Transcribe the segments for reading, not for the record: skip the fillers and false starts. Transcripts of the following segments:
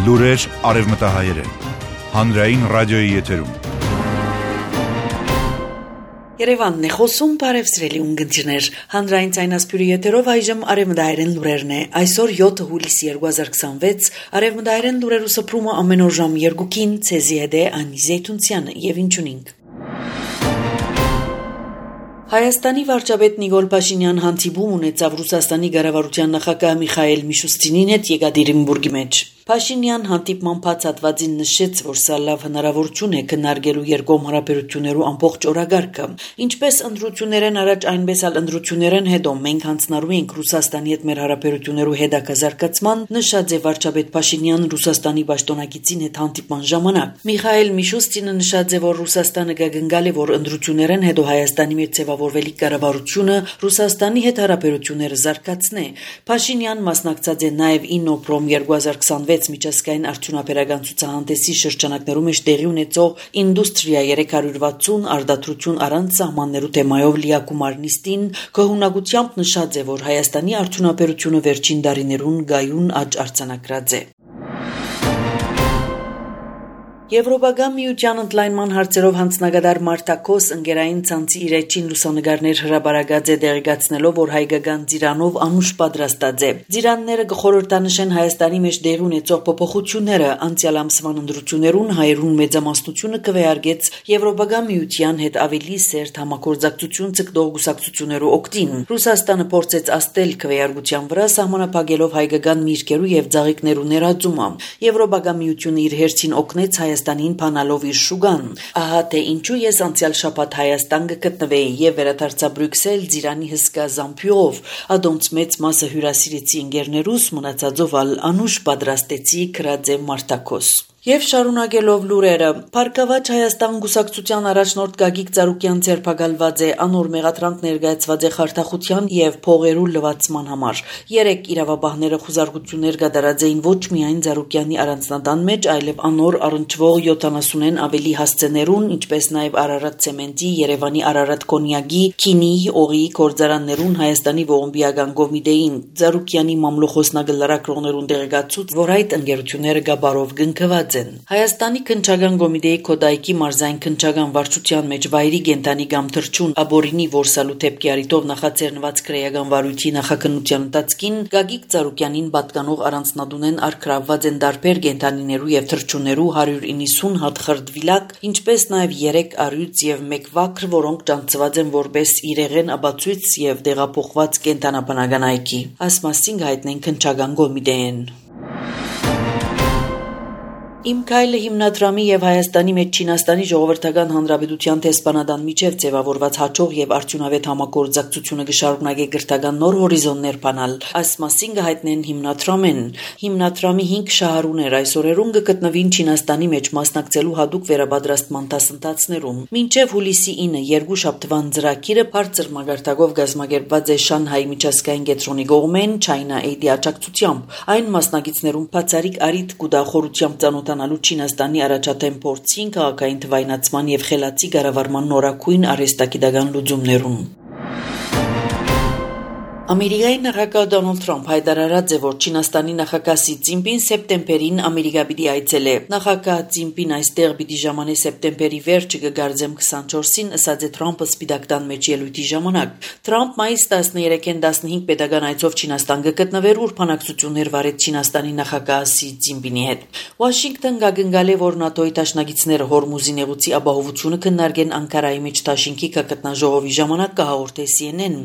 Լուրեր արևմտահայերեն, հանրային ռադիոյի եթերում։ Երևանն է խոսում, բարև սիրելի ունկնդիրներ, հանրային ցայնասպյուրի եթերով այժմ արևմտահայերեն լուրերն է, այսօր 7 հուլիսի 2026, արևմտահայերեն լուրերու սփռումը ամեն օր ժամ 2-ին, ցեզի հետ է Անի Զեյթունցյանը եւ ինչունինք։ Հայաստանի վարչապետ Նիկոլ Փաշինյան հանդիպում ունեցավ Ռուսաստանի ղեկավարության նախագահ Միխայել Միշուստինին հետ Եկատերինբուրգի մեջ։ Փաշինյան հանդիպման բացատրվածին նշեց, որ սա լավ հնարավորություն է քննարկելու երկկողմ հարաբերություններու ամբողջ օրագարկը, ինչպես ընտրություններեն առաջ, այնպես էլ ընտրություններեն հետո մենք հանձնարարում ենք Ռուսաստանի հետ մեր հարաբերություններու հետագազարգացման, նշած է վարչապետ Փաշինյան Ռուսաստանի պաշտոնակիցին հետ հանդիպման ժամանակ։ Միխայել Միշուստինը նշած է, որ Ռուսաստանը կգնգալ է, որ ընտրություններեն հետո Հայաստանի մեջ ձևավորվելիք կառավարությունը Ռուսաստանի հետ հարաբերությունները զարգացնե։ Փաշինյան մասնակցած է նաև Իննոպրոմ 2026 միջազգային արդյունաբերական ցուցահանդեսի շրջանակներում տեղի ունեցող Ինդուստրիա 360 արդարություն առանց սահմաններու թեմայով լիակումար նիստին գոհունակությամբ նշած է, որ Հայաստանի արդյունաբերությունը վերջին տարիներուն գայուն աճ արձանագրած է։ Եվրոպական միության ընդլայնման հարցերով հանձնագետար Մարտակոս ընկերային ցանցի իր էջին լուսանգարներ հրաբարացած է դերգացնելով, որ հայկական ծիրանով անուշ պատրաստած է։ Ծիրանները կխորհրդանշեն Հայաստանի մեջ դեր ունեցող փոփոխությունները, անցյալ ամսվան ընտրություններուն հայերուն մեծամասնությունը կվեարկեց Եվրոպական միության հետ ավելի սերտ համագործակցություն ցկտող գուսակցություններու օգտին։ Ռուսաստանը փորձեց աստել քվեարկության վրա սահմանափակելով հայկական միրգերու եւ ծաղիկներու ներածումը։ Եվրոպական միությունը իր հերթին օգնեց Հայաստանին փանալով իր շուգան։ Ահա թե ինչու ես անցյալ շաբաթ Հայաստան գտնվեի եւ վերադարձա Բրյուսել ծիրանի հսկա զամբյուղով, ադոնց մեծ մասը հյուրասիրեցի ընկերներուս, մնացածով ալ անուշ պատրաստեցի քրաձե Մարտակոս։ Եվ շարունակելով լուրերը, Փառքավաճ Հայաստան գուսակցության առաջնորդ Գագիկ Ծառուկյան ձերբակալված է, անոր մեղադրանք ներկայացված է խարդախության եւ փողերու լվացման համար։ 3 իրավաբանները խուզարկություններ կատարած էին ոչ միայն Ծառուկյանի առանձնատան մեջ, այլև անոր առնչվող 70-ն ավելի հասցեներուն, ինչպես նաեւ Արարատ ցեմենտի, Երևանի Արարատ կոնյակի, քինի, օղի գործարաններուն Հայաստանի ողբիական կոմիտեին Ծառուկյանի մամլոխոսնագը լրակրողներուն դեղեկացուց, որ այդ ընկերությունները գաբարով գնքված Հայաստանի քննչական կոմիտեի Քոդայքի մարզային քննչական վարչության մեջ վայրի գենտանի կամ թրջուն աբորինի որսալու թեփքի արիտով նախաձեռնված քրեական վարույթի նախաքննության ընթացքին Գագիկ Ծառուկյանին պատկանող առանձնատունեն արկրավված են դարբեր գենտանիներու եւ թրջուններու 190 հատ խրդվիլակ, ինչպես նաեւ 3 առյուծ եւ 1 վակր, որոնք ճանաչված են որպես իրեղեն աբացույց եւ դեղափոխված կենտանաբանական այքի։ Ասմասին հայտնեն քննչական կոմիտեին։ Իմ քայլը հիմնադրամի եւ Հայաստանի մեջ Չինաստանի ժողովրդական հանրապետության տեսփանադան միջև ձևավորված հաջող եւ արդյունավետ համագործակցությունը կշարունակի գրթական նոր հորիզոններ բանալ, ասմասին հայտնեն հիմնադրամեն։ Հիմնադրամի 5 շահառուներ այս օրերուն կգտնվին Չինաստանի մեջ մասնակցելու հadoop վերաբադրաստման դասընթացներում։ Մինչև հուլիսի 9 երկու շաբթվան ծրագիրը բարձր մագարտակով գազմագերբված է Շանհայի միջազգային կենտրոնի կողմեն China Aid-ի աջակցությամբ։ Այն մասնակիցներուն բացառիկ արիթ կուտախորությամբ ծանոթանալու Չինաստանի առաջադեմ փորձին, քաղաքային թվայնացման եւ խելացի կառավարման նորակույն արհեստագիտական լուծումներուն։ Ամերիկայի նախագահ Դոնալդ Թրամփ հայտարարած է, որ Չինաստանի նախագահ Սի Ցզինպին սեպտեմբերին Ամերիկա պիտի այցելե։ Նախագահ Ցզինպին այստեղ պիտի ժամանե սեպտեմբերի վերջը կգարձեմ 24-ին, ասաց է Թրամփը Սպիտակտան մեջ ելույթի ժամանակ։ Թրամփ մայիս 13-ին 15 պետական այցով Չինաստան կգտնվեր, ուր բանակցություններ վարեց Չինաստանի նախագահ Սի Ցզինպինի հետ։ Վաշինգտոն գագնգալ է, որ ՆԱՏՕ-ի դաշնակիցները Հորմուզի նեղուցի ապահովությունը քննարկեն Անկարայի մեջ Թաշինքի կգտնաժողովի ժամանակ կհաղորդե CNN։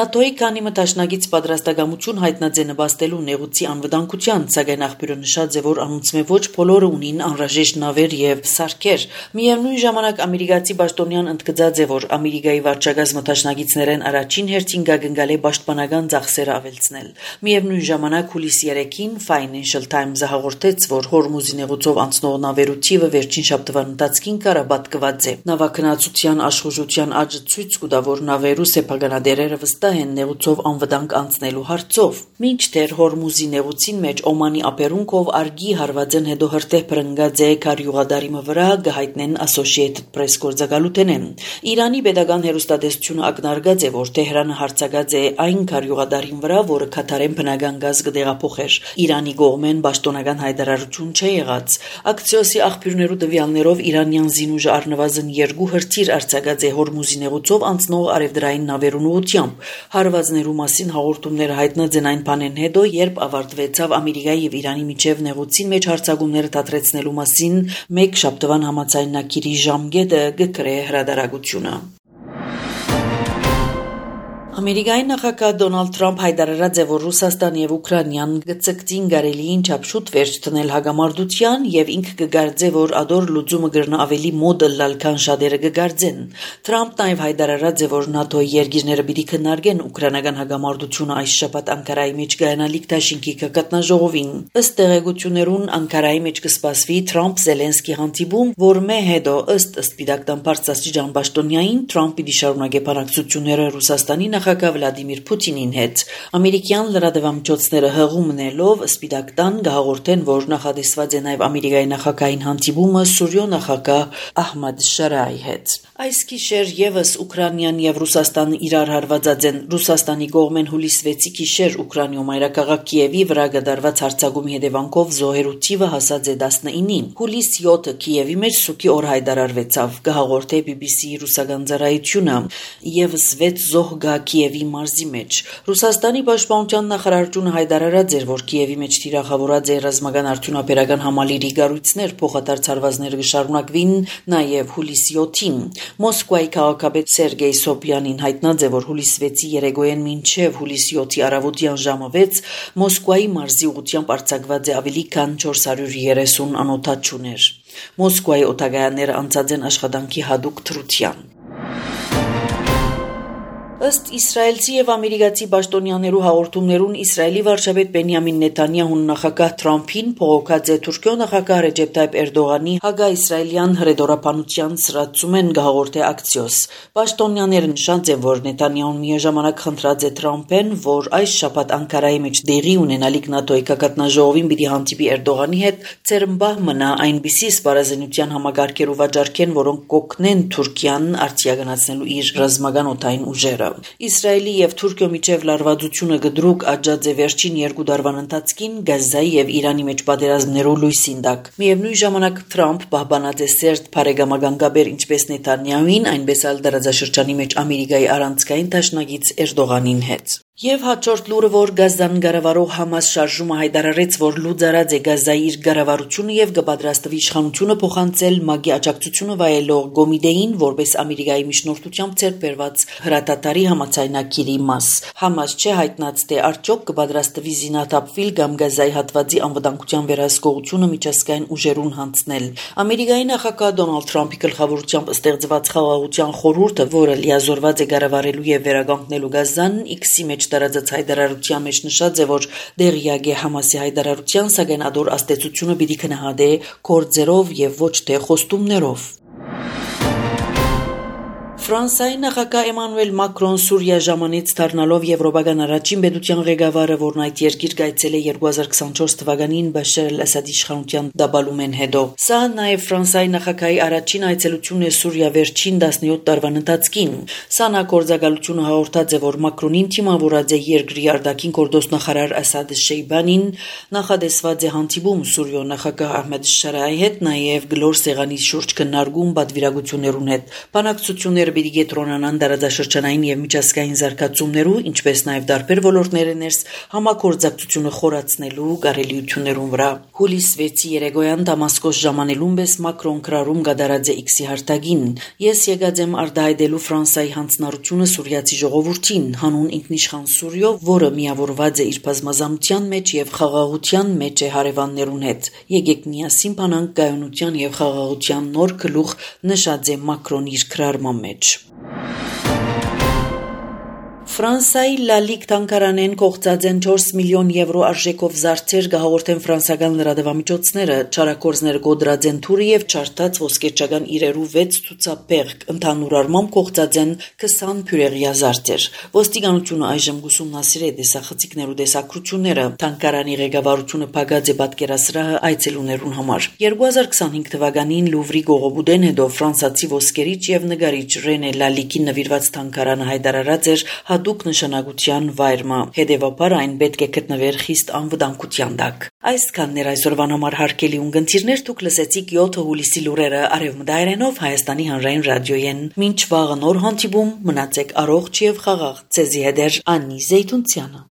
ՆԱՏՕ-ի քանի Դաշնակից պատրաստակամություն հայտնած է նպաստելու նեղուցի անվտանգության, սակայն աղբյուրը նշած է, որ անոնցմե ոչ բոլորը ունին անհրաժեշտ նավեր եւ սարքեր։ Միևնույն ժամանակ ամերիկացի պաշտոնյան ընդգծած է, որ Ամերիկայի վարչակազմը դաշնակիցներեն առաջին հերթին գագնգալ է պաշտպանական ծախսերը ավելցնել։ Միևնույն ժամանակ հուլիսի 3-ին Financial Times-ը հաղորդեց, որ Հորմուզի նեղուցով անցնող նավերու թիվը վերջին շաբթվան ընթացքին կառապատկված է։ Նավագնացության աշխուժության աճը ցույց կտա, որ նավերու սեփականատերերը վստահ են նեղուցով անվտանգ անցնելու հարցով։ Մինչդեռ Հորմուզի նեղուցին մեջ Օմանի ապերունքով արգի հարվածեն հետո հրտեհ պրնգած է քարյուղադարիմը վրա գհայտնեն Associated Press գործակալութենեն։ Իրանի pedagogan հերոստատեսությունը ակնարկած է, որ Թեհրանը հարցակած է այն քարյուղադարին վրա, որը Քաթարեն բնական գազ կդեղափոխեր։ Իրանի կողմեն պաշտոնական հայտարարություն չի եղած։ Ակցիոսի աղբյուրներու տվյալներով իրանյան զինուժը առնվազն 2 հրթիռ արձակած է Հորմուզի նեղուցով անցնող արևդրային նավերուն ուղղությամբ։ Հարվածներու մասին հաղորդումները հայտնած են այն բանեն հետո, երբ ավարտվեցավ Ամերիկայի եւ Իրանի միջև նեղուցին մեջ հարձակումները դադրեցնելու մասին մեկ շաբթվան համաձայնագիրի ժամկետը գկրե հրադարագությունը։ Ամերիկայի նախագահ Դոնալդ Թրամփ հայտարարած է, որ Ռուսաստան եւ Ուկրաինան գծկտին գարելիին չափշուտ վերջ տնել հագամարտության եւ ինքը կգարձե, որ ադոր լուծումը գրնա ավելի մոդը լալքան շատերը կգարձեն։ Թրամփն նաեւ հայտարարած է, որ ՆԱՏՕ-ի երկիրները պիտի քննարկեն ուկրաինական հագամարտությունը այս շաբաթ Անկարայի մեջ գայանալիք Դաշինքի կգտնաժողովին։ Ըստ տեղեկություններուն Անկարայի մեջ կսպասվի Թրամփ-Զելենսկի հանդիպում, որ մե հետո ըստ Սպիտակ Պարծաստիճան Պաշտոնյային Թրամփ պիտի շարունակի բանակցությունները Ռուսաստանի նախագահ Վլադիմիր Պուտինին հետ։ Ամերիկյան լրատվամիջոցները հղումնելով Սպիտակ տան գահորդեն, որ նախադեсված է նաև Ամերիկայի նախագահային հանդիպումը Սուրիո նախագահ Ահմադ Շարայի հետ։ Այս գիշեր եւս Ուկրաինան եւ Ռուսաստանը իրար հարվածած են։ Ռուսաստանի կողմեն հուլիս 6-ի գիշեր Ուկրաինայում մայրաքաղաք Կիևի վրա գդարված հարձակումի հետևանքով զոհերու թիվը հասած է 19-ի։ Հուլիս 7-ը Կիևի մեջ սուկի օր հայտարարվեցավ։ Գահորդե BBC-ի ռուսական ծառայությունը եւս 6 զոհ գա Կիևի մարզի մեջ։ Ռուսաստանի պաշտպանության նախարարությունը հայտարարած էր, որ Կիևի մեջ թիրախավորած է ռազմական արդյունաբերական համալիրի գառույցներ փոխադարձ հարվածները կշարունակվին նաև հուլիսի 7-ին։ Մոսկվայի քաղաքապետ Սերգեյ Սոբյանին հայտնած է, որ հուլիսի 6-ի երեկոյան մինչև հուլիսի 7-ի առավոտյան ժամը 6 Մոսկվայի մարզի ուղղությամբ արձակված է ավելի քան 430 անօթաչուներ։ Մոսկվայի օտագայանները անցած են աշխատանքի հատուկ թրության։ Ըստ իսրայելցի եւ ամերիկացի պաշտոնյաներու հաղորդումներուն Իսրայելի վարչապետ Բենյամին Նեթանյահուն նախագահ Թրամփին փողոքած է Թուրքիո նախագահ Ռեջեփ Թայիփ Էրդողանի հագա-իսրայելյան հրեդորապանության սրացում են գահորդե ակցիոս։ Պաշտոնյաները նշած են, որ Նեթանյահուն միաժամանակ խնդրած է Թրամփեն, որ այս շաբաթ Անկարայի մեջ դեղի ունենալիք ՆԱՏՕ-ի կգտնաժողովին պիտի հանդիպի Էրդողանի հետ ծերմբահ մնա այնպիսի սպառազինության համագարկերու վաճառքեն, որոնք կօգնեն Թուրքիան արձիագնացնելու իր ռազմական օդային ուժերը։ Իսրայելի եւ Թուրքիո միջև լարվածությունը գդրուկ աճած է վերջին 2 տարվան ընթացքին Գազայի եւ Իրանի մեջ պատերազմներու լույսին տակ։ Միևնույն ժամանակ Թրամփ պահպանած է սերտ բարեկամական կապեր ինչպես Նեթանյահուին, այնպես էլ դարաձաշրջանի մեջ Ամերիկայի առանցքային դաշնակից Էրդողանին հետ։ Եվ հաջորդ լուրը, որ Գազան գարավարող Համաս շարժումը հայտարարեց, որ լուծարած է Գազայի իր գարավարությունը եւ կպատրաստվի իշխանությունը փոխանցել ՄԱԳ-ի աջակցությունը վայելող Գոմիդեին, որպես Ամերիկայի միջնորդությամբ ցերբերված հրատատարի համաձայնագիրի մաս։ Համաս չէ հայտնած, թե արդյոք կպատրաստվի զինաթափվել կամ Գազայի հատվածի անվտանգության վերահսկողությունը միջազգային ուժերուն հանձնել։ Ամերիկայի նախագահ Դոնալդ Թրամփի գլխավորությամբ ստեղծված խաղաղության խորհուրդը, որը լիազորված է գարավարելու եւ վերականգնելու Գազան, X-ի մեջ տարածած հայտարարության մեջ նշած է, որ դեղյակ է Համասի հայտարարության, սակայն ադոր աստեցությունը պիտի քննադե գործերով եւ ոչ թե խոստումներով։ Ֆրանսիայի նախագահ Էմանուել Մակրոն Սուրիա ժամանից դառնալով եվրոպական առաջին պետության ղեկավարը, որն այդ երկիր գայցել է 2024 թվականին Բաշար al-Ասադի իշխանության դաբալումեն հետո։ Սա նաև Ֆրանսիայի նախագահի առաջին այցելությունն է Սուրիա վերջին 17 տարվան ընթացքին։ Սանա գործակալությունը հաղորդած է, որ Մակրոնին թիմավորած է երկրի արտաքին գործնախարար Ասադ Շեյբանին, նախադեсված է հանդիպում Սուրիո նախագահ Ահմեդ Շարայի հետ, նաև գլոր սեղանի շուրջ քննարկում պատվիրակություններուն հետ։ Բանակցությունները պիտի կենտրոնանան դարաձաշրջանային եւ միջազգային զարգացումներու, ինչպես նաեւ տարբեր ոլորտների ներս համագործակցությունը խորացնելու կարելիություններուն վրա։ Հուլիս 6-ի երեկոյան Դամասկոս ժամանելուն պես Մակրոն քրարում գդարած է X-ի հարտագին։ Ես եկած եմ արտահայտելու Ֆրանսիայի հանձնառությունը սուրիացի ժողովրդին, հանուն ինքնիշխան Սուրիո, որը միավորված է իր բազմազանության մեջ եւ խաղաղության մեջ է հարևաններուն հետ։ Եկեք միասին բանանք կայունության եւ խաղաղության նոր գլուխ, նշած է Մակրոն իր քրարման մեջ։ Ֆրանսայի Լալիկ թանգարանեն կողծած են 4 միլիոն եվրո արժեքով զարդեր գահորտեն ֆրանսական լրատվամիջոցները, չարակորձներ գոդրած են թուրը եւ չարտած ոսկերչական իրերու 6 ցուցափեղկ, ընդհանուր առմամբ կողծած են 20 փյուրեղյա զարդեր։ Ոստիկանությունը այժմ ուսումնասիրե դեսախցիկներու դեսակրությունները, թանգարանի ղեկավարությունը փակած է պատկերասրահը այցելուներուն համար։ 2025 թվականին Լուվրի գողոբուդեն հետո ֆրանսացի ոսկերիչ եւ նկարիչ Ռենե Լալիկին նվիրված թանգարանը հայտարարած էր հատուկ նշանակության վայրը, հետևաբար այն պետք է գտնվեր խիստ անվտանգության տակ։ Այսքանն էր այսօրվան համար հարգելի ունգընտիրներ, դուք լսեցիք 7 հուլիսի լուրերը Արևմտայերենով Հայաստանի հանրային ռադիոյեն։ Մինչ վաղը նոր հանդիպում, մնացեք առողջ եւ խաղաղ։ Ցեզի հետ Անի Զեյթունցյանը։